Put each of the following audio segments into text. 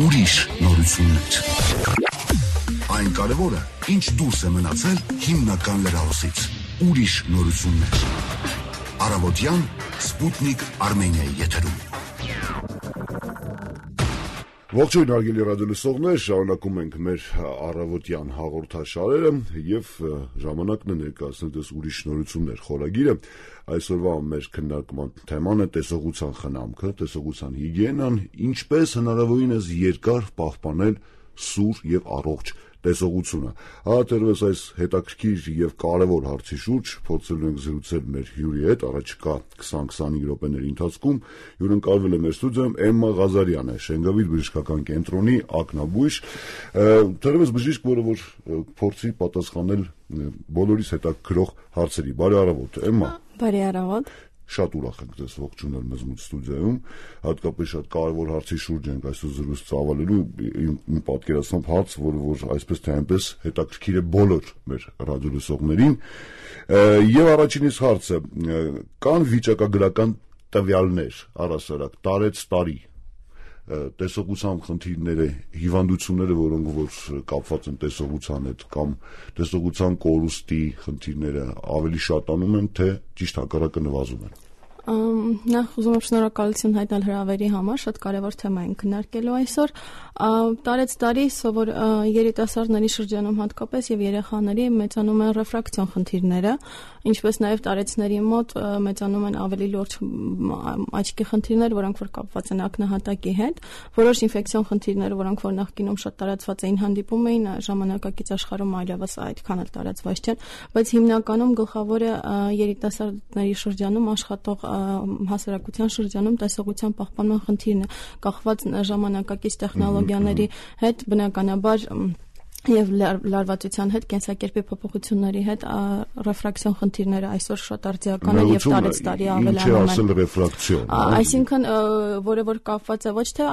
ուրիշ նորություններ։ Այն կարևորը, ինչ դուրս է մնացել հիմնական լրահոսից։ Ուրիշ նորություններ։ Առավոտյան Սպուտնիկ Արմենիայի եթերում։ Ողջույն հարգելի ռադիոլսողներ, շարունակում ենք մեր առավոտյան հաղորդաշարերը եւ ժամանակն է ներկայացնել դες ուրիշ նորություններ խորագիրը։ Այսօրվա մեր քննարկման թեման է տեսողության խնամքը, տեսողության հիգիենան, ինչպես հնարավորինս երկար պահպանել սուր եւ առողջ տեսողությունը։ Հատերվես այս հետաքրքիր եւ կարեւոր հարցի շուրջ փորձելու ենք զրուցել մեր հյուրի հետ առաջիկա 20-25 րոպեների ընթացքում։ Հյուրընկալվել է մեր ստուդիոյում Էմմա Ղազարյանը, Շենգավիթ բժշկական կենտրոնի ակնաբույժ, թերևս բժիշկ, որը որ փորձի պատասխանել բոլորիս հետաքրքրող հարցերի։ Բարի առավոտ, Էմմա։ Բարի առավոտ։ Շատ ուրախ ենք ձեզ ողջունել մեզ մոտ ստուդիայում, հատկապես շատ կարևոր հարցի շուրջ ենք այսօր զրույց ծավալելու, իմ պատկերացնող հարց, որ այսպես թե այնպես հետաքրքիր է բոլոր մեր ռադիոլսողներին։ Եվ առաջինիս հարցը, կան վիճակագրական տվյալներ առհասարակ տարեց տարի տեսողության խնդիրները, հիվանդությունները, որոնք որ կապված են տեսողության հետ կամ տեսողության կորուստի խնդիրները ավելի շատանում են, թե ճիշտ հակառակը նվազում են։ Նախ ուզում եմ շնորհակալություն հայտնել հրավերի համար, շատ կարևոր թեմա ենք քննարկելու այսօր։ Տարեց տարի սովոր երիտասարդների շրջանում հատկապես եւ երեխաների մեծանում են ռեֆրակցիոն խնդիրները, ինչպես նաեւ տարեցների մոտ մեծանում են ավելի լուրջ աչքի խնդիրներ, որոնք որ կապված են ակնահատակի հետ, որոշ ինֆեկցիոն խնդիրներ, որոնք որ նախկինում շատ տարածված էին, հանդիպում էին, ժամանակակից աշխարհում այլևս այդքան էլ տարածված չեն, բայց հիմնականում գլխավորը երիտասարդների շրջանում աշխատող հասարակության շրջանում տեսողության պահպանման խնդիրն է, կախված ժամանակակից տեխնոլոգիաների հետ, բնականաբար եւ լարվածության հետ, կենսակերպի փոփոխությունների հետ ռեֆրակցիոն խնդիրները այսօր շատ արձիական են եւ տարեց տարի ավելանում են։ Ինչ է ասել ռեֆրակցիոն։ Այսինքն, որը որ կապված է ոչ թե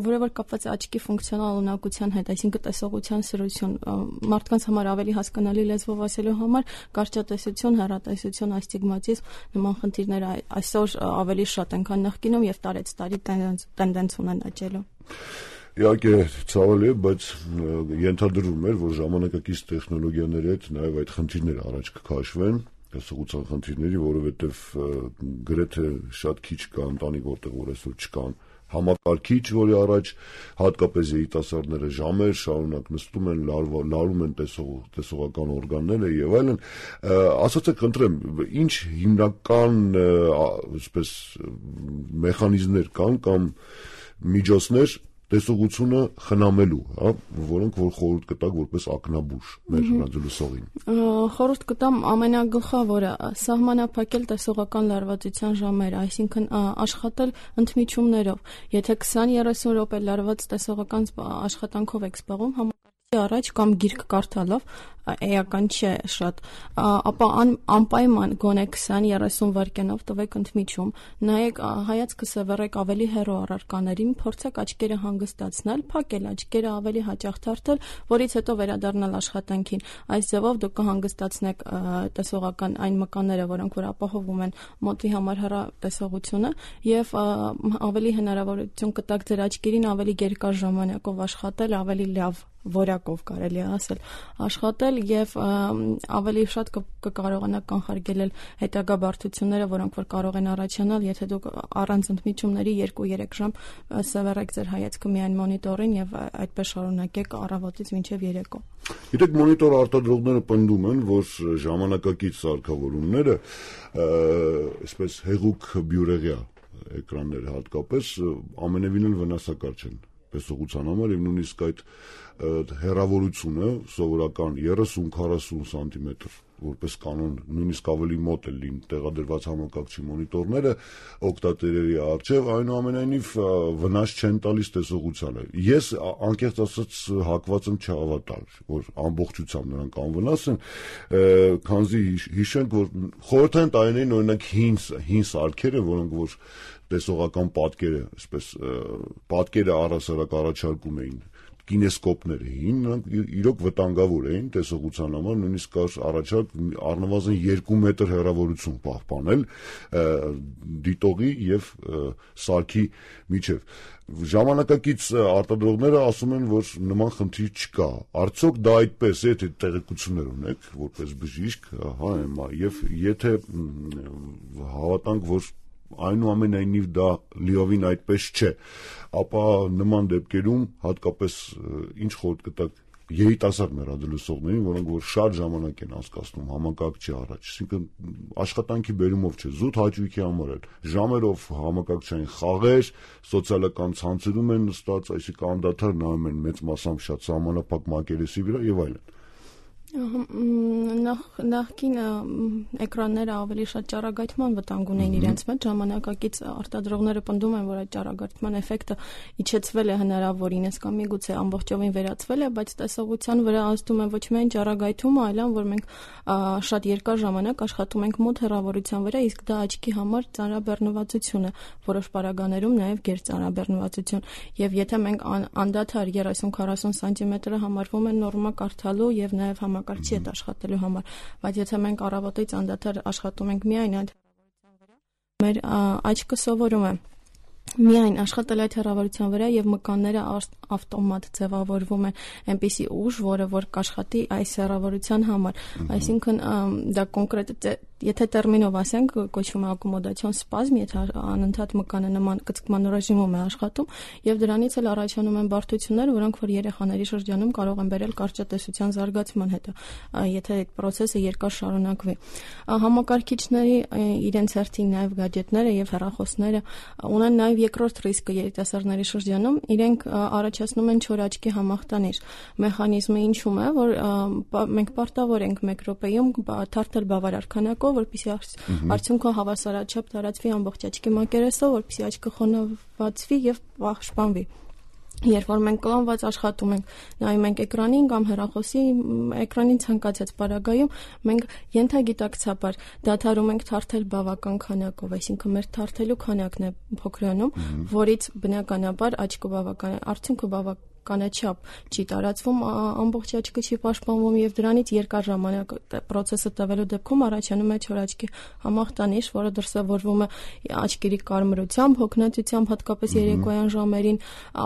որը որ կապված է աչքի ֆունկցիոնալ ունակության հետ, այսինքն տեսողության սրություն, մարդկանց համար ավելի հասկանալի լեզվով ասելու համար կարճատեսություն, հեռատեսություն, ասթիգմատիզմ նման խնդիրները այսօր ավելի շատ են, քան նախկինում եւ տարեց տարի տենդենց ունեն աճելու։ Իհարկե ցավալի է, բայց ենթադրվում էր, որ ժամանակակից տեխնոլոգիաների հետ նաև այդ խնդիրները առաջ կքաշվեն, տեսողության խնդիրների, որովհետև գրեթե շատ քիչ կա ընտանիք, որտեղ որ այսօր չկան համակարգիչ, որի առաջ հատկապես երիտասարդները ժամեր շարունակ նստում են, լարում են տեսողական օրգանները եւ այլն։ Ասացեք, խնդրեմ, ինչ հիմնական այսպես մեխանիզմներ կան կամ միջոցներ տեսողությունը խնամելու, հա, որոնք որ խորհուրդ կտակ որպես ակնաբույժ մեր ռադիոլսողին։ Խորհուրդ կտամ ամենագլխավորը սահմանափակել տեսողական լարվածության ժամերը, այսինքն աշխատել ընդմիջումներով։ Եթե 20-30 րոպե լարված տեսողական աշխատանքով եք զբաղվում, առաջ կամ գիրք կարդալով, էական չէ շատ, ապա անպայման գոնե 20-30 վայրկյանով տվեք ընդմիջում, նայեք հայացքը սևեռեք ավելի հեռու առարկաներին, փորձեք աչքերը հանգստացնել, փակել աչքերը ավելի հաճախ թարթել, որից հետո վերադառնալ աշխատանքին։ Այս ձևով դուք կհանգստացնեք տեսողական այն մկանները, որոնք որ ապահովում են մոտի համար հեռատեսողությունը եւ ավելի հնարավորություն կտակ ձեր աչքերին ավելի երկար ժամանակով աշխատել, ավելի լավ որակով կարելի է ասել աշխատել եւ ավելի շատ կկարողանաք կանխարգելել հետագա բարդությունները, որոնք որ կարող են առաջանալ, եթե դուք առանց ընդմիջումների 2-3 ժամ սևեռեք ձեր հայացքը միայն մոնիտորին եւ այդպես շարունակեք առավոտից մինչեւ երեկո։ Գիտեք, մոնիտոր արտադրողները պնդում են, որ ժամանակակից սարքավորումները, այսպես հեղուկ բյուրեղյա էկրանները հատկապես ամենևին էլ վնասակար չեն տեսողության համար եւ նույնիսկ այդ հեռավորությունը սովորական 30-40 սանտիմետր որպես կանոն նույնիսկ ավելի մոտ է լինում տեղադրված համակարգչի մոնիտորները օգտատերերի առջև, այնուամենայնիվ վնաս չեն տալիս տեսողությանը։ Ես անկեղծ ասած հակված եմ չհավատալ, որ ամբողջությամբ նրանք անվնաս են, քանզի հիշենք, որ խորհրդային տարիներին օրինակ հին սարքերը, որոնք որ տեսողական պատկերը, այսպես պատկերը առհասարակ առաջարկում էին կինեսկոպներ էին, նրանք իրոք վտանգավոր էին տեսողության համար, նույնիսկ կար առաջարկ առնվազն 2 մետր հեռավորություն պահպանել դիտողի եւ սարքի միջև։ Ժամանակակից արտադրողները ասում են, որ նման խնդիր չկա։ Արդյոք դա այդպես է, եթե տեղեկություններ ունեք որպես բժիշկ, հա, եւ եթե հավատանք, որ այնուամենայնիվ դա լիովին այդպես չէ, ապա նման դեպքերում հատկապես ինչ խորհուրդ կտաք երիտասարդ մեր ռադիոլսողներին, որոնք որ շատ ժամանակ են անցկացնում համակարգչի առաջ, այսինքն աշխատանքի բերումով չէ, զուտ հաճույքի համար էլ, ժամերով համակարգչային խաղեր, սոցիալական ցանցերում են նստած, այսինքն անդադար նայում են մեծ մասամբ շատ սահմանափակ մակերեսի վրա եւ այլն։ Նախկին էկրանները ավելի շատ ճառագայթման վտանգ ունեին իրենց մեջ, ժամանակակից արտադրողները պնդում են, որ այդ ճառագայթման էֆեկտը իջեցվել է հնարավորինս կամ միգուցե ամբողջովին վերացվել է, բայց տեսողության վրա ազդում է ոչ միայն ճառագայթումը, այլ որ մենք շատ երկար ժամանակ աշխատում ենք մոտ հեռավորության վրա, իսկ դա աչքի համար ծանրաբեռնվածություն է, որոշ պարագաներում նաև գերծանրաբեռնվածություն, եւ եթե մենք անդադար 30-40 սանտիմետրը համարվում է նորմա կարդալու եւ նաև համակարգչի հետ աշխատելու համար, բայց եթե մենք առավոտից անդադար աշխատում ենք միայն այդ հեռավորության վրա, մեր աչքը սովորում է միայն աշխատել այդ հեռավորության վրա եւ մկանները ավտոմատ ձևավորվում են այնպիսի ուժ, որը որ կաշխատի այս հեռավորության համար, այսինքն դա կոնկրետ եթե տերմինով ասենք, կոչվում է ակոմոդացիոն սպազմ, եթե անընդհատ մկանը նման կծկման ռեժիմում է աշխատում եւ դրանից էլ առաջանում են բարդություններ, որոնք որ երեխաների շրջանում կարող են բերել կարճատեսության զարգացման հետ, եթե այդ process-ը երկար շարունակվի։ Համակարգիչների իրենց հերթին նաեւ գadgetները եւ հեռախոսները ունեն նաեւ երկրորդ ռիսկը երիտասարդների շրջանում, իրենք առաջացնում են չոր աչքի համախտանիշ։ Մեխանիզմը ինչու՞մ է, որ մենք պարտավոր ենք 1 րոպեում թարթել բավարար քանակով, որպեսզի արդյունքը հավասարաչափ տարածվի ամբողջ աչքի մակերեսով, որպեսզի աչքը խոնավացվի եւ պաշտպանվի։ Երբ որ մենք կլանված աշխատում ենք, նայում ենք էկրանին կամ հեռախոսի էկրանին ցանկացած պարագայում, մենք ենթագիտակցաբար դադարում ենք թարթել բավական քանակով, այսինքն մեր թարթելու քանակն է փոքրանում, որից բնականաբար աչքը բավական արդյունքը բավականաչափ չի տարածվում, ամբողջ աչքը չի պաշտպանվում եւ դրանից երկար ժամանակ process-ը տևելու դեպքում առաջանում է չոր աչքի համախտանիշ, որը դրսևորվում է աչքերի կարմրությամբ, հոգնածությամբ, հատկապես երեկոյան ժամերին,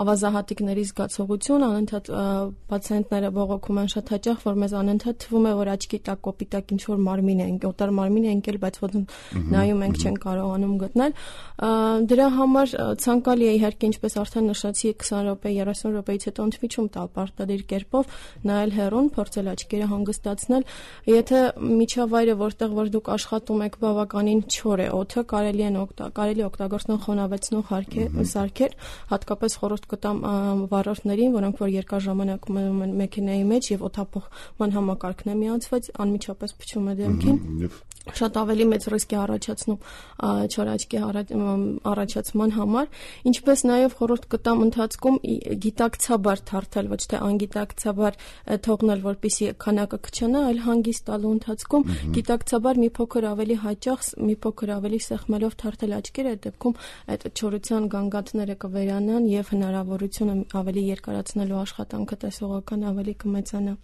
ավազահատիկների զգացողություն, անընդհատ պացիենտները բողոքում են շատ հաճախ, որ մեզ անընդհատ թվում է, որ աչքի տակ կոպիտակ ինչ որ մարմին է, օտար մարմին է ընկել, բայց ոնց նայում ենք չեն կարողանում գտնել։ Դրա համար ցանկալի է իհարկե, ինչպես արդեն նշեցի, 20 րոպե, 30 րոպեից հետո ընդմիջում տալ պարտադիր կերպով, նայել հեռուն, փորձել աչքերը հանգստացնել։ Եթե միջավայրը, որտեղ որ դուք աշխատում եք, բավականին չոր է, օդը կարելի օգտագործել խոնավեցնող սարքեր, հատկապես խորհուրդ կտամ վարորդներին, որոնք որ երկար ժամանակ մնում են մեքենայի մեջ եւ օդափոխման համակարգն է միացված, անմիջապես փչում է դեմքին։ Շատ ավելի մեծ ռիսկ է առաջացնում չոր աչքի առաջացման համար, ինչպես նաև խորհուրդ կտամ ընթացքում գիտակցաբար թարթել, ոչ թե անգիտակցաբար թողնել, որպեսզի քանակը քչանա, այլ հանգիստ տալու ընթացքում գիտակցաբար մի փոքր ավելի հաճախ, մի փոքր ավելի սեղմելով թարթել աչքերը, այդ դեպքում այդ չորության գանգատները կվերանան եւ հնարավորությունը ավելի երկարացնելու աշխատանքը տեսողական ավելի կմեծանա։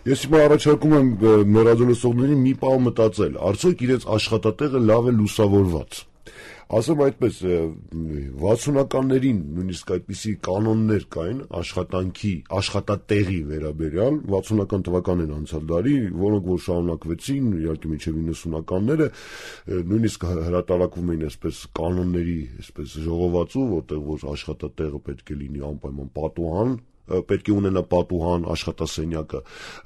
Ես հիմա առաջարկում եմ մեր ռադիոլսողներին մի պահ մտածել, արդյոք իրենց աշխատատեղը լավ է լուսավորված։ Ասեմ այդպես, 60-ականներին նույնիսկ այդպիսի կանոններ կային աշխատատեղի վերաբերյալ, 60-ական թվականներին անցյալ դարի, որոնք որ շարունակվեցին, իհարկե մինչև 90-ականները, նույնիսկ հրատարակվում էին այսպես կանոնների, այսպես ժողովածու, որտեղ որ աշխատատեղը պետք է լինի անպայման պատուհան, պետք է ունենա պատուհան, աշխատասենյակը,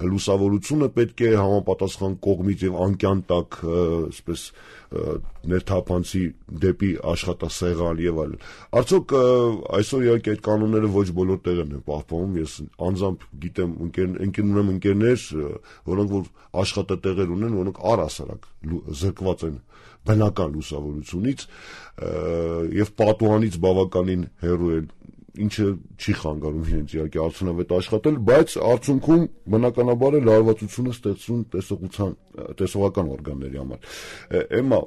լուսավորությունը պետք է համապատասխան կողմից եւ անկյան տակ, այսպես ներթափանցի դեպի աշխատասեղան եւ այլն։ Արդյոք այսօր իհարկե այդ կանոնները ոչ բոլոր տեղերն են պահպանվում։ Ես անձամբ գիտեմ ընկերներ, որոնք որ աշխատատեղեր ունեն, որոնք առհասարակ զրկված են բնական լուսավորությունից եւ պատուհանից բավականին հեռու են ինչը չի խանգարում իրենց իհարկե արդյունավետ աշխատել, բայց արդյունքում բնականաբար է լարվածությունը ստեղծում տեսողական օրգանների համար։ Էմմա,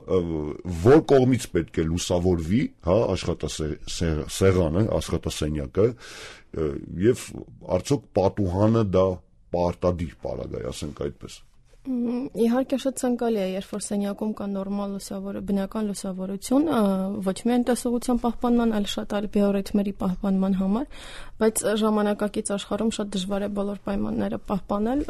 որ կողմից պետք է լուսավորվի, հա, աշխատասեղանը, աշխատասենյակը, եւ արդյոք պատուհանը դա պարտադիր պարագա է, ասենք այդպես։ Իհարկե շատ ցանկալի է, երբ որ սենյակում կա նորմալ բնական լուսավորություն, ոչ միայն տեսողության պահպանման, այլ շատ այլ բիոռիթմերի պահպանման համար, բայց ժամանակակից աշխարհում շատ դժվար է բոլոր պայմանները պահպանել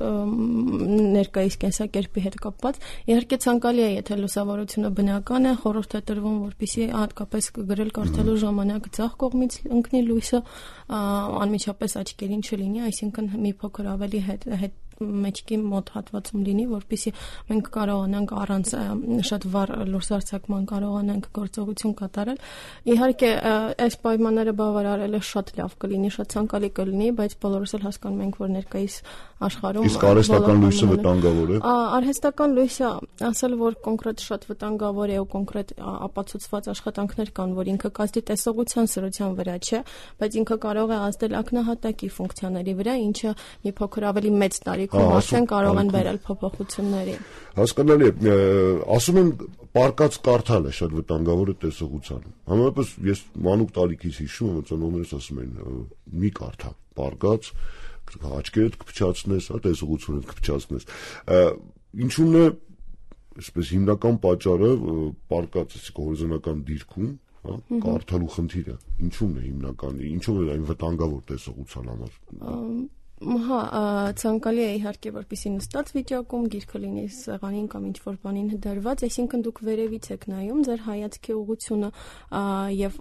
ներկայիս կենսակերպի հետ կապված։ Իհարկե ցանկալի է, եթե լուսավորությունը բնական է, խորհուրդ է տրվում, որպեսզի հատկապես գրել կարդալու ժամանակ ձախ կողմից ընկնի լույսը, անմիջապես աչքերին չլինի, այսինքն մի փոքր ավելի հետ մեջքի մոտ հատվածում լինի, որպեսզի մենք կարողանանք առանց շատ վառ լուսարձակման կարողանանք գործողություն կատարել։ Իհարկե, այս պայմանները բավարարելը շատ լավ կլինի, շատ ցանկալի կլինի, բայց բոլորս էլ հասկանում ենք, որ ներկայիս աշխարհում իսկ արհեստական լույսը վտանգավոր է։ Արհեստական լույսը, ասել որ կոնկրետ շատ վտանգավոր է ու կոնկրետ ապացուցված աշխատանքներ կան, որ ինքը կազդի տեսողության սրության վրա չէ, բայց ինքը կարող է ազդել ակնահատակի ֆունկցիաների վրա, ինչը մի փոքր ավելի մեծ տարիքում արդեն կարող են բերել փոփոխությունների։ Հասկանալի է, ասում են պարկած կարդալը շատ վտանգավոր է տեսողությանը։ Համենայնպես ես մանուկ տարիքից հիշում եմ, ծնողներս ասում են՝ մի կարդա, պարկած աչքերդ կփչացնես, հա, տեսողությունդ կփչացնես։ Ինչու՞մն է, այսպես հիմնական պատճառը պարկած հորիզոնական դիրքում, հա, կարդալու խնդիրը։ Ինչու՞մն է հիմնական, ինչու՞վ է այն վտանգավոր տեսողության համար։ Հա, ցանկալի է իհարկե, որպեսզի նստած վիճակում գիրքը լինի սեղանին կամ ինչ-որ բանին դրված, այսինքն դուք վերևից եք նայում, ձեր հայացքի ուղղությունը եւ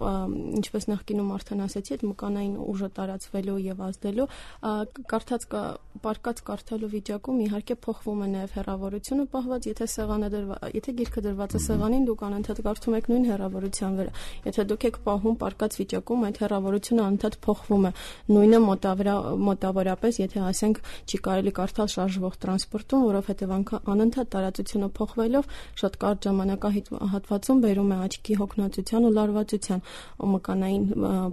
ինչպես նախկինում արդեն ասեցի, այդ մկանային ուժը տարածվելու եւ ազդելու, պարկած կարդալու վիճակում իհարկե փոխվում է նաեւ հեռավորությունը պահված, եթե գիրքը դրված է սեղանին, դուք անընդհատ կարդում եք նույն հեռավորության վրա։ Եթե դուք եք պահում պարկած վիճակում, այդ հեռավորությունը անընդհատ փոխվում է։ Նույնը մոտավորապես եթե ասենք չի կարելի կարդալ շարժվող տրանսպորտում, որովհետև անընդհատ տարածությունը փոխվելով շատ կարճ ժամանակահատվածում բերում է աչքի հոգնածության ու լարվածության ու մկանային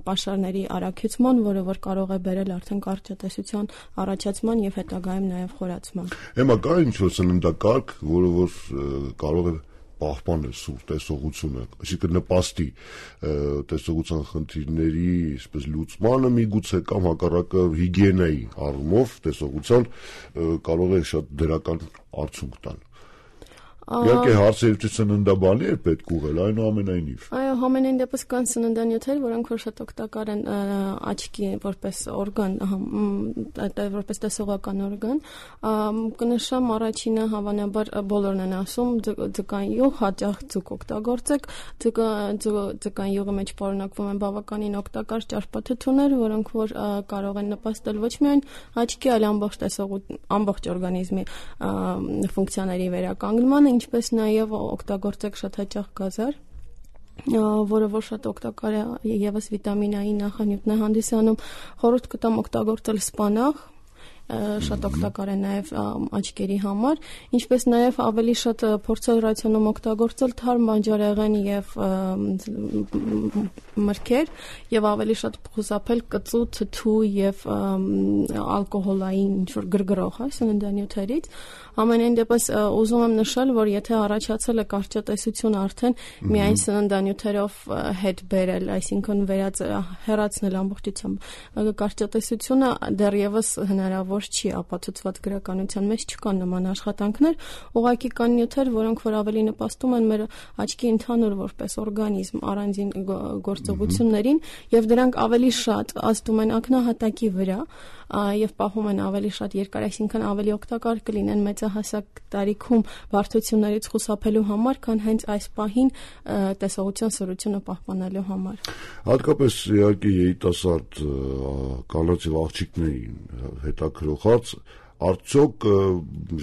պաշարների առաքյուցման, որը որ կարող է բերել արդեն կարճատեսության առաջացման եւ հետագայում նաեւ խորացման։ Հիմա կա ինչ-որ սննդակարգ, որը որ կարող է պահպանել սուր տեսողությունը, այսինքն նպաստի տեսողության խնդիրների այսպես լուծմանը միգուցե կամ հակառակը հիգիենայի առումով տեսողության կարող է շատ դրական արդյունք տալ։ Իհարկե հարցերից սննդաբանի է պետք ուղղել, այնուամենայնիվ։ Այո, համենայն դեպս կան սննդանյութեր, որոնք որ շատ օգտակար են աչքի որպես օրգան, որպես տեսողական օրգան։ Կնշեմ առաջինը հավանաբար բոլորն են ասում, ձկան յուղ, հաճախ ձուկ օգտագործեք։ Ձկան յուղի մեջ պարունակվում են բավականին օգտակար ճարպաթթուներ, որոնք որ կարող են նպաստել ոչ միայն աչքի, այլ ամբողջ օրգանիզմի ֆունկցիաների վերականգնմանը, ինչպես նաև օգտագործեք շատ հաճախ գազար, որը որ շատ օգտակար է եւս վիտամին A-ի նախանյութն է հանդիսանում, խորհուրդ կտամ օգտագործել սպանաղ, շատ օգտակար է նաև աչքերի համար, ինչպես նաև ավելի շատ փորձել ռացիոնում օգտագործել թարմ բանջարեղեն եւ մրգեր եւ ավելի շատ խուսափել կծու, թթու եւ ալկոհոլային ինչ-որ գրգռող սննդանյութերից։ Ամենայն դեպս ուզում եմ նշել, որ եթե առաջացել է կարճատեսություն արդեն միայն սննդանյութերով հետ բերել, այսինքն հեռացնել ամբողջությամբ կարճատեսությունը դեռևս հնարավոր չի, ապացուցված գրականության մեջ չկան նման աշխատանքներ, ուղղակի կան նյութեր, որոնք որ ավելի նպաստում են մեր աչքի ընդհանուր որպես օրգանիզմ առանձին գործողություններին եւ դրանք ավելի շատ ազդում են ակնահատակի վրա եւ պահում են ավելի շատ երկար, այսինքն ավելի օգտակար կլինեն մեծահասակ տարիքում բարդություններից խուսափելու համար, քան հենց այս պահին տեսողության սրությունը պահպանելու համար։ Հատկապես իհարկե երիտասարդ կանանց եւ աղջիկներին հետաքրող հարց, արդյոք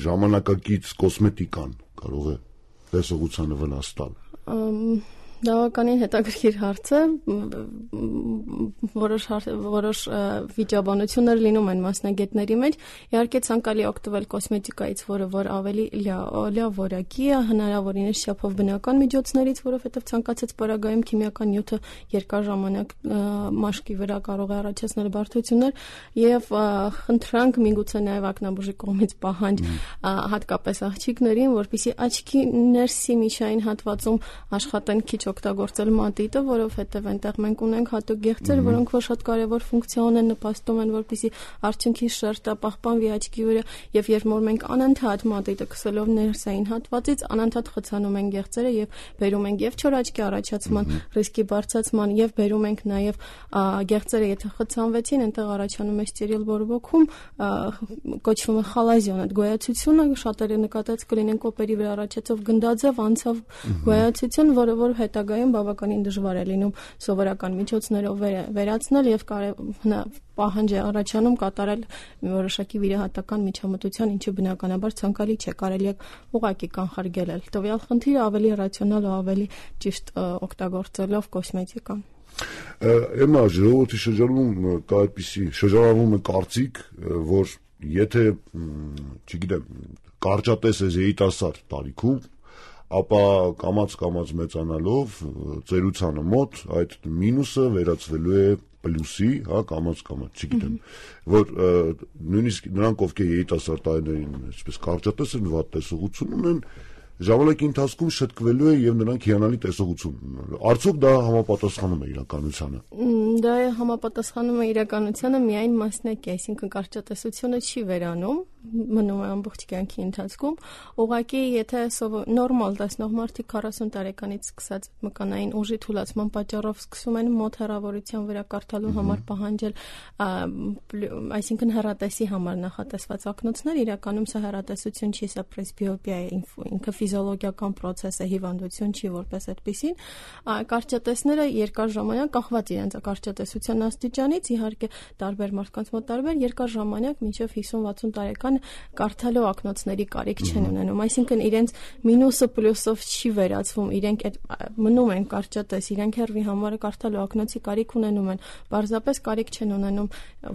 ժամանակակից կոսմետիկան կարող է տեսողությանը վնաս տալ։ Բավականին հետաքրքիր հարց է, որոշ վիճաբանություններ լինում են մասնագետների մեջ, իհարկե ցանկալի օգտվել կոսմետիկայից, որը որ ավելի լավ որակի է, հնարավորինս չափով բնական միջոցներից, որովհետև ցանկացած պարագայում քիմիական նյութը երկար ժամանակ մաշկի վրա կարող է առաջացնել բարդություններ եւ խնդրանք միգուցե նաեւ ակնաբուժի կողմից պահանջ հատկապես աղջիկներին, որպեսզի աչքի ներսի միջային հատվածում աշխատեն քիչ օգտագործել մատիտը, որովհետև այնտեղ մենք ունենք հատուկ գեղձեր, որոնք որ շատ կարևոր ֆունկցիա ունեն, նպաստում են, որպեսզի արդյունքի շերտը պահպանվի աչքի վրա, եւ երբ որ մենք անընդհատ մատիտը քսելով ներսային հատվածից անընդհատ խցանում ենք գեղձերը եւ բերում ենք եւ չոր աչքի առաջացման ռիսկի բարձրացման եւ բերում ենք նաեւ գեղձերը, եթե խցանվեցին, այնտեղ առաջանում է ստերիլ բորբոքում, կոչվում է խալազիոն, այդ գոյացությունը շատերը նկատած կլինեն կոպերի վրա առաջացող գնդաձև անցավ գոյացություն, որը որ հետագայում բավականին դժվար է լինում սովորական միջոցներով վերացնել եւ պահանջ է առաջանում կատարել որոշակի վիրահատական միջամտության, ինչը բնականաբար ցանկալի չէ, կարելի է ուղղակի կանխարգելել։ Տվյալ խնդիրը ավելի ռացիոնալ ու ավելի ճիշտ օգտագործելով կոսմետիկան։ Էմա ժողովրդի շրջանում կա այդպիսի շրջանառվում է կարծիք, որ եթե, չգիտեմ, կարճատես է երիտասարդ տարիքում, ապա կամաց մեծանալով ծերությանը մոտ այդ մինուսը վերածվելու է պլյուսի, կամաց, չգիտեմ, որ նույնիսկ նրանք, ովքեր երիտասարդ տարիներին այսպես կարճատես են, վատ տեսողություն ունեն, ժամանակի ընթացքում շտկվելու է եւ նրանք հիանալի տեսողություն ունենալու։ Արդյոք դա համապատասխանում է իրականությանը։ Դա համապատասխանում է իրականությանը միայն մասնակի, այսինքն կարճատեսությունը չի վերանում, մնում է ամբողջ կյանքի ընթացքում։ Ուղղակի եթե նորմալ տեսնող մարդիկ 40 տարեկանից սկսած մկանային ուժի թուլացման պատճառով սկսում են մոտ հեռավորության վրա կարդալու համար պահանջել, այսինքն հեռատեսի համար նախատեսված ակնոցներ, իրականում սա հեռատեսություն չի, սա պրեսբիոպիա է, ինքը ֆիզիոլոգիական process է, հիվանդություն չի որպես այդպեսին։ Կարճատեսները երկար ժամանակ կախված իրենց կարճատեսության աստիճանից, իհարկե տարբեր մարդկանց մոտ տարբեր, երկար ժամանակ մինչև 50-60 տարեկան կարդալու ակնոցների կարիք չեն ունենում, այսինքն իրենց մինուսը պլյուսով չի վերածվում, իրենք մնում են կարճատես, իրենք հեռվի համար կարդալու ակնոցի կարիք ունենում են, պարզապես կարիք չեն ունենում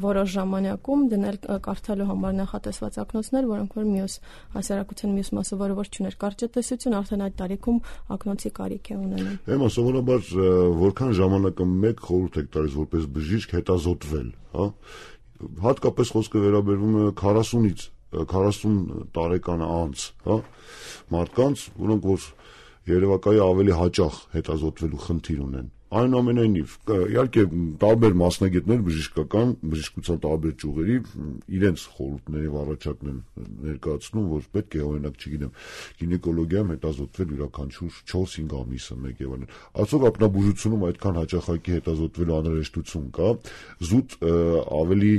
որոշ ժամանակում դնել կարդալու համար նախատեսված ակնոցներ, որոնք որ մյուս հասարակության մյուս մասը որը որ չուներ կարճատեսություն, արդեն այդ տարիքում ակնոցի կարիք է ունենում։ Էմա սովորաբար որքան ժամանակը մեկ խորհուրդ եք տալիս որպես բժիշկ հետազոտվել, հատկապես խոսքը վերաբերվում է 40-ից 40 տարեկան անց, մարդկանց, որոնք որ երևակայի ավելի հաճախ հետազոտվելու խնդիր ունեն։ Այնուամենայնիվ, իհարկե տարբեր մասնագետներ բժշկության տարբեր ճյուղերի իրենց խորհուրդների առաջարկն են ներկայացնում, որ պետք է օրինակ, չգիտեմ, գինեկոլոգիայում հետազոտվել յուրաքանչյուր 4-5 ամիսը մեկ եւ այլն։ Արդյոք ակնաբուժությունում այդքան հաճախակի հետազոտվելու անհրաժեշտություն կա, զուտ ավելի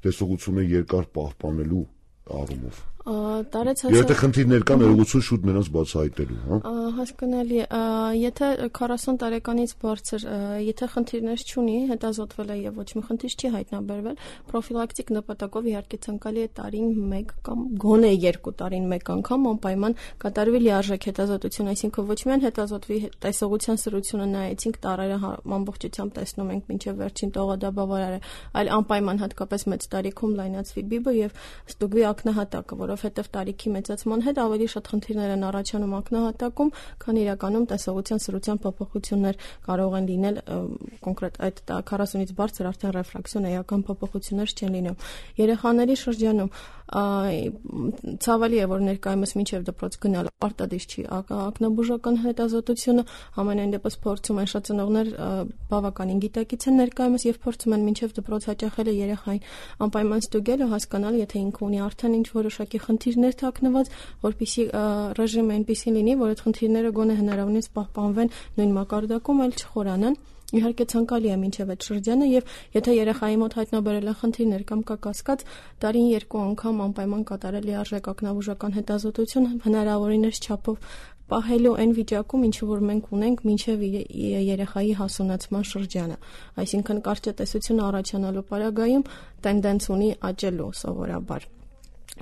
տեսողությունը երկար պահպանելու առումով։ Եթե խնդիրներ կան, ներողություն շուտ նրանց բացահայտելու, Հասկանալի է, եթե 40 տարեկանից բարձր, եթե խնդիրներ չունի, հետազոտվել է եւ ոչ մի խնդիր չի հայտնաբերվել, պրոֆիլակտիկ նպատակով իհարկե ցանկալի է տարին 1 կամ գոնե 2 տարին 1 անգամ անպայման կատարվի լիարժեք հետազոտություն, այսինքն ոչ միայն հետազոտվի տեսողության սրությունը նայեցինք տարերը ամբողջությամբ տեսնում ենք մինչեւ վերջին տողադաբավարարը, այլ անպայման հատկապես մեծ տարիքում լայնացվի բիբը եւ ստուգվի ակնահատակը, որովհետև տարիքի մեծացման հետ ավելի շատ խնդիրներ են առաջանում ակնահատակում, քան իրականում տեսողության սրության փոփոխություններ կարող են լինել կոնկրետ այդ 40-ից բարձր արդեն ռեֆրակցիոն էական փոփոխություններ չեն լինում։ Երեխաների շրջանում ցավալի է, որ ներկայումս մինչև դպրոց գնալ պարտադիր չի ակնաբուժական հետազոտությունը, համենայն դեպս փորձում են շատ ծնողներ բավականին գիտակից են ներկայումս եւ փորձում են մինչև դպրոց հաճախելը երեխային անպայման ստուգել ու հասկանալ, եթե ինքը ունի արդեն ինչ որոշակի խնդիրներ թաքնված, որպեսզի ռեժիմը այնպեսին լինի, որ այդ խնդիրները գոնե հնարավորինս պահպանվեն նույն մակարդակում, այլ չխորանան։ Իհարկե ցանկալի է մինչև այդ շրջանը եւ եթե երեխայի մոտ հայտնաբերել են խնդիրներ կամ կա կասկած, տարին 2 անգամ անպայման կատարել լիարժեք ակնաբուժական հետազոտություն հնարավորինս չափով պահելու այն վիճակում, ինչ որ մենք ունենք մինչև երեխայի հասունացման շրջանը։ Այսինքն կարճատեսությունը առաջանալու պարագայում տենդենց ունի աճելու սովորաբար։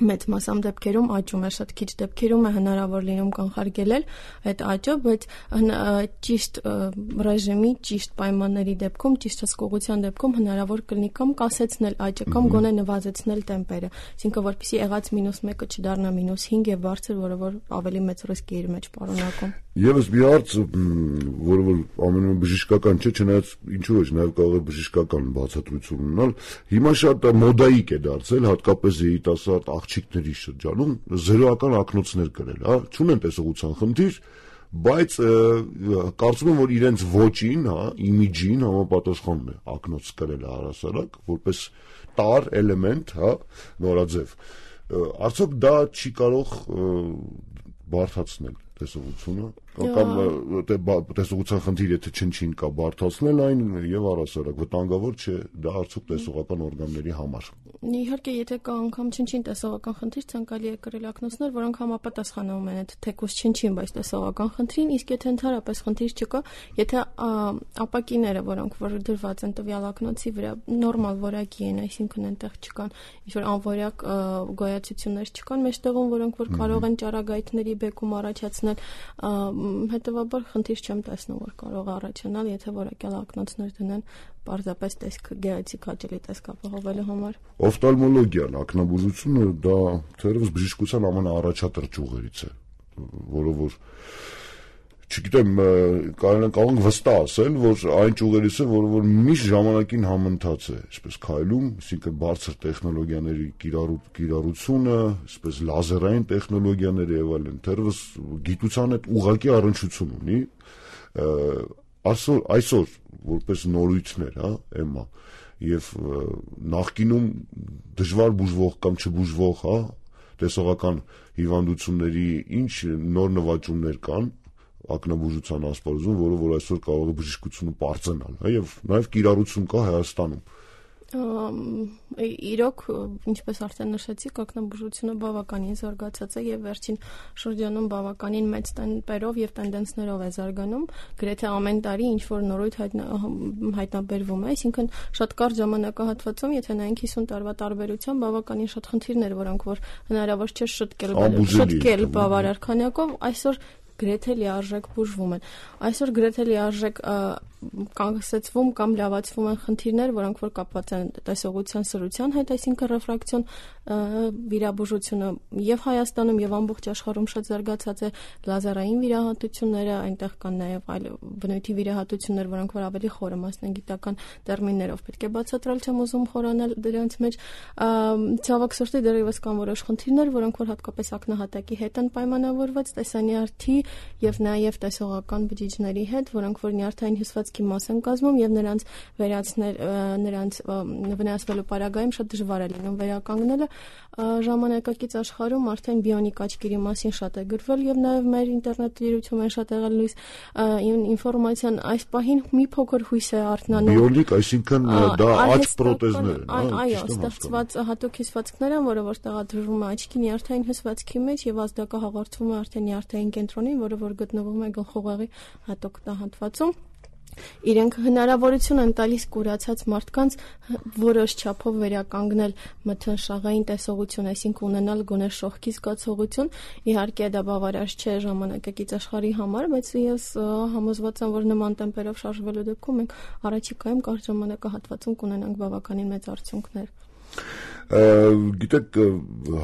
մեծ մասամբ դեպքերում աճում է, շատ քիչ դեպքերում է հնարավոր լինում կանխարգելել այդ աճը, բայց ճիշտ ռեժիմի, ճիշտ պայմանների դեպքում, ճիշտ հսկողության դեպքում հնարավոր կլինի կամ կասեցնել աճը, կամ գոնե նվազեցնել տեմպերը, այսինքն որպեսզի եղած -1-ը չդառնա -5 եւ բարձր, որը որ ավելի մեծ ռիսկ է իր մեջ պարունակում։ Եվս մի հարց, որը որ ամենը բժշկական չէ, չնայած ինչու ոչ, նաև կարող է բժշկական բացատրություն ունենալ։ Հիմա շատ մոդայիկ է դարձել, հատկապես երիտասարդ աղջիկների շրջանում զերոական ակնոցներ կրել, հա, չունեն տեսողության խնդիր, բայց կարծում եմ, որ իրենց ոճին, հա, իմիջին համապատասխանում է ակնոց կրելը առհասարակ, որպես տար էլեմենտ, հա, նորաձև։ Արդյոք դա չի կարող բարդացնել տեսողությունը, կամ տեսողության խնդիր, եթե չնչին կա, բարդացնել այն եւ առհասարակ վտանգավոր չէ դա արդյոք տեսողական օրգանների համար։ Իհարկե, եթե կա անգամ չնչին տեսողական խնդիր, ցանկալի է կրել ակնոցներ, որոնք համապատասխանում են այդ թեկուզ չնչին, բայց տեսողական խնդրին, իսկ եթե ընդհանրապես խնդիր չկա, եթե ապակիները, որոնք որ դրված են տվյալ ակնոցի վրա, նորմալ որակի են, այսինքն այնտեղ չկան ինչ-որ անորակ գոյացություններ չկան մեջտեղում, որոնք որ կարող են ճառագայթների բեկում առաջացնել, հետևաբար խնդիր չեմ տեսնում, որ կարող է առաջանալ, եթե որակյալ ակնոցներ դնեն պարզապես տեսք գեղեցիկ հաճելի տեսք ապահովելու համար։ Օֆթալմոլոգիան, ակնաբուժությունը դա թերևս բժշկության ամենաառաջատար ճյուղերից է, որը որ չգիտեմ, կարող ենք վստահ ասել, որ այն ճյուղերից է, որը որ միշտ ժամանակին համընթաց է, այսպես քայլում, այսինքն բարձր տեխնոլոգիաների կիրառությունը, այսպես լազերային տեխնոլոգիաները եւ այլն, թերևս գիտության հետ ուղղակի առնչություն ունի։ Այսօր որպես նորույթներ, հա, էմա, եւ նախկինում դժվար բուժվող կամ չբուժվող, հա, տեսողական հիվանդությունների ինչ նոր նվաճումներ կան ակնաբուժության ասպարեզում, որը որ այսօր կարող է բժշկությունը պարծենալ, հա, եւ նաեւ կիրառություն կա Հայաստանում։ Իրոք, ինչպես արդեն նշեցիք, ակնաբուժությունը բավականին զարգացած է եւ վերջին շրջանում բավականին մեծ տեմպերով եւ տենդենսներով է զարգանում, գրեթե ամեն տարի ինչ որ նորույթ հայտնաբերվում է, այսինքն շատ կարճ ժամանակահատվածում, եթե նայենք 50 տարվա տարբերությամբ, բավականին շատ խնդիրներ, որոնք որ հնարավոր չէ շտկել բավարար քանակով, այսօր գրեթե լիարժեք բուժվում են։ Այսօր գրեթե լիարժեք կանգնեցվում կամ լավացվում են խնդիրներ, որոնք որ կապված են տեսողության սրության հետ, այսինքն ռեֆրակցիոն վիրաբուժությունը եւ Հայաստանում եւ ամբողջ աշխարհում շատ զարգացած է, լազերային վիրահատությունները, այնտեղ կան նաեւ այլ բնույթի վիրահատություններ, որոնք որ ավելի խորը մասնագիտական տերմիններով պետք է բացատրել, չեմ ուզում խորանալ դրանց մեջ։ Ցավոք սրտի դեռևս կան որոշ խնդիրներ, որոնք որ հատկապես ակնահատակի հետ են պայմանավորված, տեսանյարդի եւ նաեւ տեսողական բջիջների հետ, որոնք որ նյարդային հյուսվածքի մաս են կազմում եւ նրանց վնասվելու պարագայում շատ դժվար է լինում վերականգնելը։ Ժամանակակից աշխարհում արդեն բիոնիկ աչքերի մասին շատ է գրվել եւ նաեւ մեր ինտերնետ դիրույթում են շատ եղել լույս ինֆորմացիան, այս պահին մի փոքր հույս է արթնանում։ Բիոնիկ, այսինքն դա աչ պրոթեզներ են, այո, ստեղծված հատուկ հյուսվածքներ են, որը որ տեղադրվում է աչքի նյարդային հյուսվածքի մեջ եւ ազդակը հաղորդվում է արդեն նյարդային կենտրոնին, որը որ գտնվում է գլխուղեղի հատուկ տահատվածում։ Իրենք հնարավորություն են տալիս կուրացած մարդկանց որոշ չափով վերականգնել մթնշաղային տեսողություն, այսինքն ունենալ գոնե շողքի զգացողություն։ Իհարկե դա բավարար չէ ժամանակակից աշխարհի համար, բայց ես համոզված եմ, որ նման տեմպերով շարժվելու դեպքում մենք առաջիկայում կարճ ժամանակահատվածում կունենանք բավականին մեծ արդյունքներ։ Գիտեք,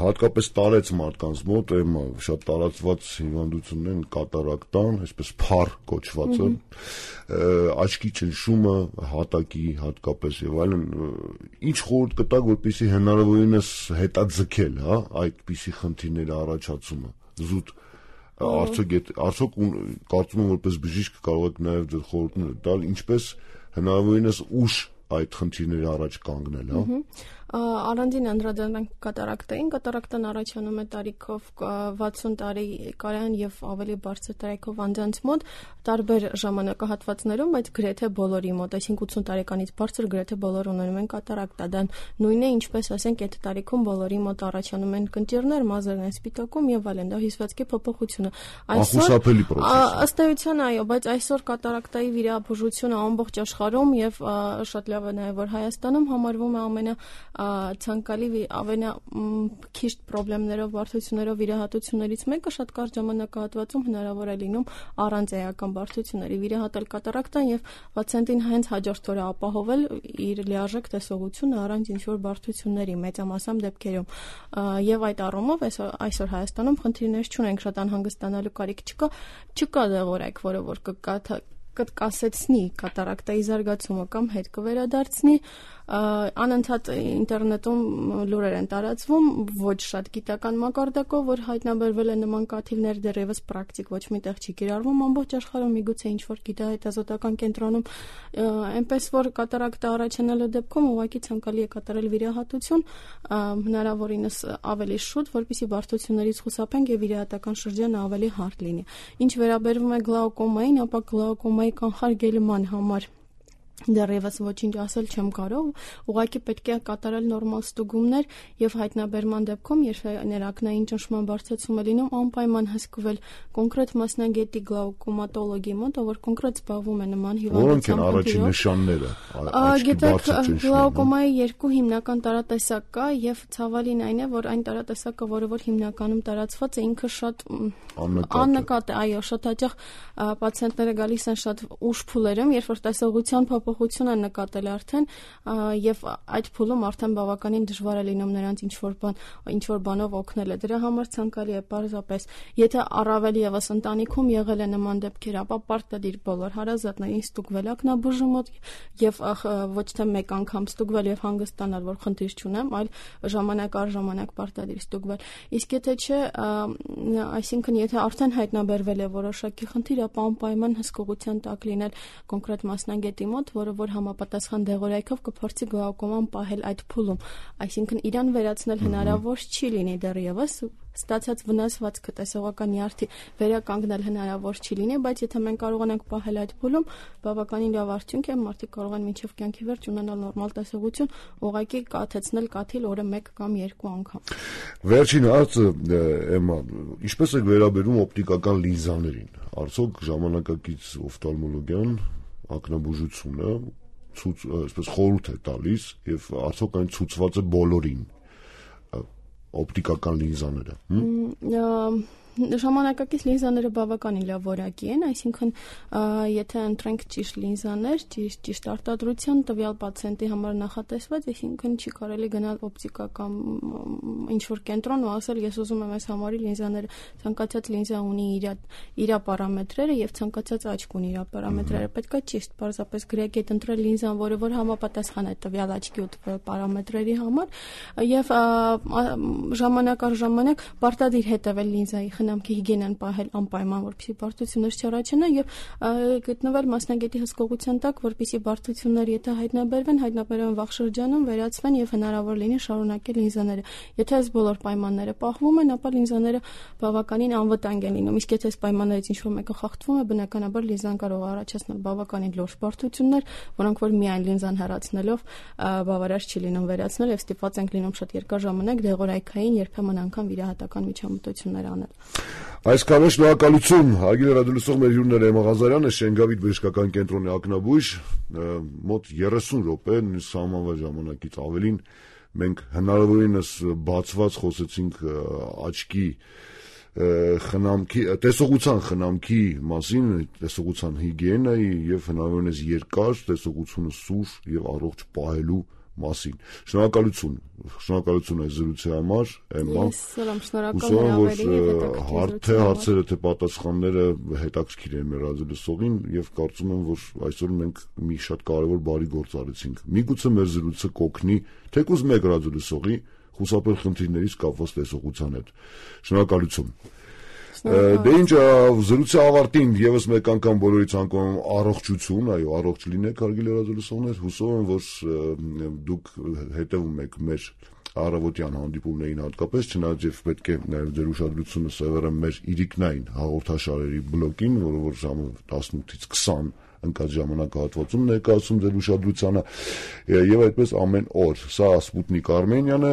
հատկապես տարեց մարդկանց մոտ էմա շատ տարածված հիվանդություններ են կատարակտան, այսպես փառ կոչվածը, աչքի ճնշումը, հատակի հատկապես եւ այլն, ինչ խորհուրդ կտակ, որպեսզի հնարավորինս հետաձգել, հա, այդպիսի խնդիրների առաջացումը, զուտ արդյոք կարծում եմ որպես բժիշկ կարող եք նաեւ ձեր խորհուրդներ տալ, ինչպես հնարավորինս ուշ այդ խնդիրների առաջ կանգնել, հա։ Առանձին անդրադառնանք կատարակտան առաջանում է տարիքով 60 տարի կարան եւ ավելի բարձր տարիքով անձանց մոտ տարբեր ժամանակահատվածներում, բայց գրեթե բոլորի մոտ, այսինքն 80 տարեկանից բարձր գրեթե բոլոր ունենում են կատարակտա, դա նույնն է, ինչպես ասենք, այդ տարիքում բոլորի մոտ առաջանում են կնճիռներ, մազերն են սպիտակում եւ այլն, դա հյուսվածքի փոփոխությունը։ Այսօր ըստ էության այո, բայց այսօր կատարակտայի վիրաբուժությունը ամբողջ աշխարհում եւ շատ լավ է նաև որ Հայաստանում համարվում է ամենացանկալի քիչ խնդիրներով, բարդություններով վիրահատություններից մեկը շատ կարճ ժամանակահատվածում հնարավոր է լինում առանց էական բարդությունների վիրահատել կատարակտան եւ պացիենտին հենց հաջորդ օրը ապահովել իր լիարժեք տեսողությունը առանց ինչ-որ բարդությունների մեծամասամբ դեպքերում եւ այդ առումով այսօր Հայաստանում խնդիրներ չունենք, շատ անհանգստանալու կարիք չկա դեղորայք, որը որ կկասեցնի կատարակտայի զարգացումը կամ հետ կվերադարձնի անընդհատ ինտերնետում լուրեր են տարածվում ոչ շատ գիտական մակարդակով, որ հայտնաբերվել է նման կաթիլներ, դեռևս պրակտիկ ոչ մի տեղ չի կիրառվում ամբողջ աշխարհում, միգուցե ինչ-որ գիտահետազոտական կենտրոնում, այնպես որ կատարակտա առաջանալու դեպքում ուղղակի ցանկալի է կատարել վիրահատություն, հնարավորինս ավելի շուտ, որպեսզի բարդություններից խուսափենք եւ վիրահատական շրջանը ավելի հարթ լինի։ Ինչ վերաբերվում է գլաուկոմային, ապա գլաուկոմայի կանխարգելման համար դեռևս ոչինչ ասել չեմ կարող, ուղղակի պետք է կատարել նորմալ ստուգումներ եւ հայտնաբերման դեպքում, երբ ներակնային ճնշման բարձրացում է լինում, անպայման հսկվել կոնկրետ մասնագետի գլաուկոմատոլոգի մոտ, որ կոնկրետ զբաղվում է նման հիվանդությամբ։ Որոնք են առաջին նշանները աչքի բարձր ճնշման։ Գլաուկոմայի երկու հիմնական տարատեսակ կա եւ ցավալին այն է, որ այն տարատեսակը, որը որ հիմնականում տարածված է, ինքը շատ աննկատ է, այո, շատ հաճախ պացիենտները գալիս են շատ ուշ փուլերում, երբ որ տեսողության փոփոխություն են նկատել արդեն եւ այդ փուլում արդեն բավականին դժվար է լինում նրանց ինչ-որ բանով օգնել է։ Դրա համար ցանկալի է պարզապես, եթե առավել եւս ընտանիքում եղել է նման դեպքեր, ապա պարտադիր բոլոր հարազատներին ստուգվել ակնաբուժի մոտ եւ ոչ թե մեկ անգամ ստուգվել եւ հանգստանալ, որ խնդիր չունեմ, այլ ժամանակ առ ժամանակ պարտադիր ստուգվել։ Իսկ եթե չէ, այսինքն եթե արդեն հայտնաբերվել է որոշակի խնդիր, ապա անպայման հսկողության տակ լինել կոնկրետ մասնագետի մոտ, որը որ համապատասխան դեղորայքով կփորձի գլաուկոման պահել այդ փուլում, այսինքն իրան վերացնել հնարավոր չի լինի դեռևս, ստացած վնասվածքը տեսողական նյարդի վերականգնել հնարավոր չի լինի, բայց եթե մենք կարողանանք պահել այդ փուլում, բավականին լավ արդյունք է, մարդիկ կարող են մինչև կյանքի վերջ ունենալ նորմալ տեսողություն, ուղղակի կաթեցնել կաթիլ օրը 1 կամ 2 անգամ։ Վերջին հարցը, Էմմա, ինչպես է վերաբերում օպտիկական լինզաներին, արդյոք ժամանակակից օֆթալմոլոգիան ակնաբուժությունը այսպես խորհուրդ է տալիս եւ արդյոք այն ցուցված է բոլորին օպտիկական լինզաները։ Ժամանակակից լինզաները բավականին լավ որակի են, այսինքն եթե ընտրենք ճիշտ լինզաներ, ճիշտ արտադրության տվյալ պացիենտի համար նախատեսված, այսինքն չի կարելի գնալ օպտիկական ինչ-որ կենտրոն ու ասել ես ուզում եմ այս համարի լինզաները, ցանկացած լինզա ունի իր պարամետրերը եւ ցանկացած աչք ունի իր պարամետրերը, պետք է ճիշտ պարզապես գրեգետ ընտրել լինզան, որը որ համապատասխան է տվյալ աչքի ու պարամետրերի համար եւ ժամանակ առ ժամանակ պարտադիր հետեւել լինզայի խնամքի հիգիենան պահել անպայման, որպեսզի բարդություններ չառաջանան եւ գտնվել մասնագետի հսկողության տակ, որպեսզի բարդություններ եթե հայտնաբերվեն վաղ շրջանում, վերացվեն եւ հնարավոր լինի շարունակել լինզաները։ Եթե այս բոլոր պայմանները պահվում են, ապա լինզաները բավականին անվտանգ են լինում, իսկ եթե այս պայմաններից ինչ-որ մեկը խախտվում է, բնականաբար լինզան կարող է առաջացնել բավականին լուրջ բարդություններ, որոնք որ միայն լինզան հեռացնելով բավարար չի լինում վերացնել եւ ստիպված ենք լինում շատ երկար ժամանակ դեղորայքային երբեմն անգամ վիրահատական միջամտություններ անել։ Այսքանը շնորհակալություն, հարգելի ռադիոլսող մեր հյուրները Էմմա Ղազարյանը, Շենգավիթ բժշկական կենտրոնի ակնաբույժ, մոտ 30 րոպե, սահմանված ժամանակից ավելին մենք հնարավորինս բացված խոսեցինք աչքի խնամքի, տեսողության խնամքի մասին, տեսողության հիգիենայի եւ հնարավորինս երկար տեսողությունը սուր եւ առողջ պահելու մասին։ Շնորհակալություն այս զրույցի համար, Էմմա։ Հարցերը թե պատասխանները հետաքրքիր են մեր ռադիոլսողին եւ կարծում եմ, որ այսօր մենք մի շատ կարեւոր բարի գործ արեցինք։ Միգուցե մեր զրույցը կօգնի թեկուզ մեկ ռադիոլսողի խուսափել խնդիրներից կապված տեսողության հետ։ Շնորհակալություն։ Դե ինչ, զրույցի ավարտին եւս մեկ անգամ բոլորի ցանկանում առողջություն, այո, առողջ լինեք, հարգելի ռադիոլսողներ, հուսով եմ, որ դուք հետևում եք մեր առավոտյան հանդիպումներին հատկապես, չնայած պետք է նաև ձեր ուշադրությունը սևեռեմ մեր իրիկնային հաղորդաշարերի բլոկին, որը որ ժամը 18-ից 20 ընկած ժամանակահատվածում ներկայացում ձեր ուշադրությանը եւ այդպես ամեն օր։ Սա Սպուտնիկ Արմենիան է,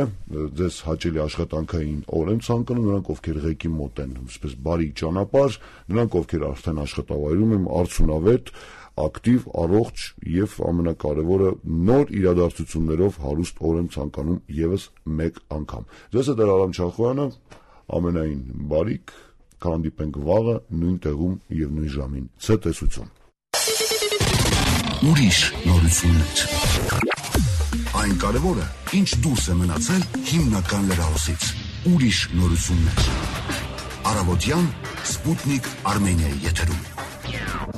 ձեզ հաճելի աշխատանքային օր եմ ցանկանում նրանք, ովքեր ղեկի մոտ են, այսպես բարի ճանապարհ, նրանք, ովքեր արդեն աշխատավայրում են, արդյունավետ, ակտիվ, առողջ եւ ամենակարևորը նոր իրադարձություններով հարուստ օր եմ ցանկանում եւս մեկ անգամ։ Ձեզ հետ Արամ Չախոյանը, ամենայն բարիք, կհանդիպենք վաղը նույն տեղում եւ նույն ժամին։ Ցտեսություն։ Ուրիշ նորություններ։ Այն կարևորը, ինչ դուրս է մնացել հիմնական լրահոսից։ Ուրիշ նորություններ։ Առավոտյան Սպուտնիկ Արմենիայի եթերում։